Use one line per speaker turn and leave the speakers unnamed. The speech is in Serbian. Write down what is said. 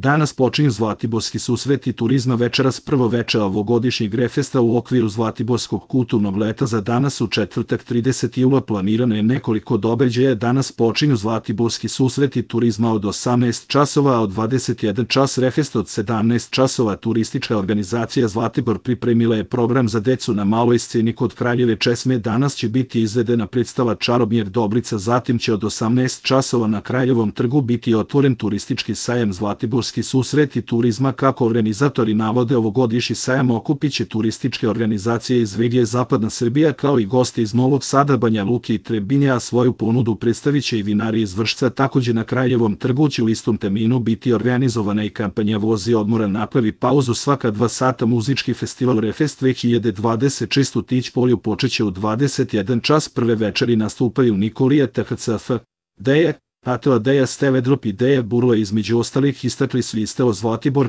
Danas počinju Zlatiborski susreti turizma večeras prvo veče ovogodišnjeg Refesta u okviru Zlatiborskog kulturnog leta. Za danas u četvrtak 30. jula planirano je nekoliko događaja. Danas počinju Zlatiborski susreti turizma od 18 časova, a od 21 čas Refest od 17 časova. Turistička organizacija Zlatibor pripremila je program za decu na maloj sceni kod Kraljeve česme. Danas će biti izvedena predstava Čarobnjak Dobrica, zatim će od 18 časova na Kraljevom trgu biti otvoren turistički sajam Zlatiborski susreti turizma. Kako organizatori navode, ovogodišnji sajam okupiće turističke organizacije iz regije Zapadna Srbija kao i gosti iz Novog Sada, Banja Luke i Trebinja, a svoju ponudu predstavit će i vinari iz Vršca. Takođe na Kraljevom trgu će u istom terminu biti organizovana i kampanja Vozi odmora, napravi pauzu svaka 2 sata. Muzički festival Refest 2026 u Tić polju počeće u 21 čas. Prve večeri nastupaju Nikolija THCF, Deja, Atela Deja, Steve Drop i Deja Burla. Između ostalih istakli su Isteo Zlatibor,